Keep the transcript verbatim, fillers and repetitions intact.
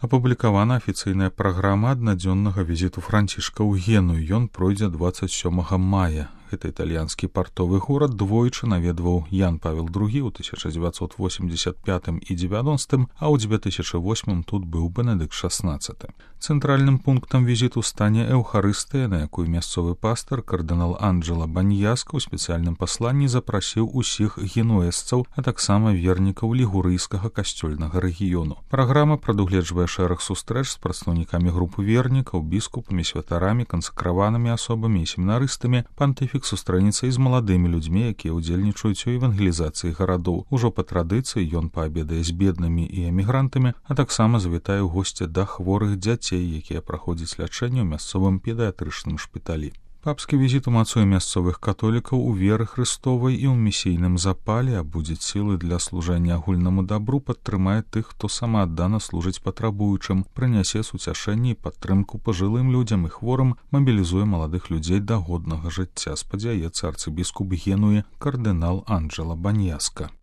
Апублікавана афіцыйная праграма аднадзённага візіту Францішка ў Геную. Ён пройдзе дваццаць сёмага мая. Гэта італьянскі партовы горад двойчы наведваў Ян Павел другі ў тысяча дзевяцьсот восемьдесят пятым і дзевяностым, а ў дзве тысячы восьмым тут быў Бенедыкт шаснаццаты. Цэнтральным пунктам візіту стане Эўхарыстыя, на якую мясцовы пастар кардынал Анджела Баньяска ў спецыяльным пасланні запрасіў усіх генуэзцаў, а таксама вернікаў лігурыйскага касцёльнага рэгіёну. Праграма прадугледжвае шэраг сустрэч з прадстаўнікамі групы вернікаў, біскупамі, святарамі, кансакраванымі асобамі і семінарыстамі. Пантыфік сустрэнецца і з маладымі людзьмі, якія ўдзельнічаюць у евангелізацыі гарадоў. Ужо па традыцыі ён паабедае з беднымі і эмігрантамі, а таксама завітае ў госці да хворых дзяцей, якія праходзяць лячэнне ў мясцовым педыятрычным шпіталі. Папскі візіт умацуе мясцовых католікаў у веры Хрыстовай і ў місійным запале, абудзіць сілы для служэння агульнаму дабру, падтрымае тых, хто самааддана служыць патрабуючым, прынясе суцяшэнне і падтрымку пажылым людзям і хворым, мабілізуе маладых людзей да годнага жыцця, спадзяецца арцыбіскуп Генуі кардынал Анджела Баньяска.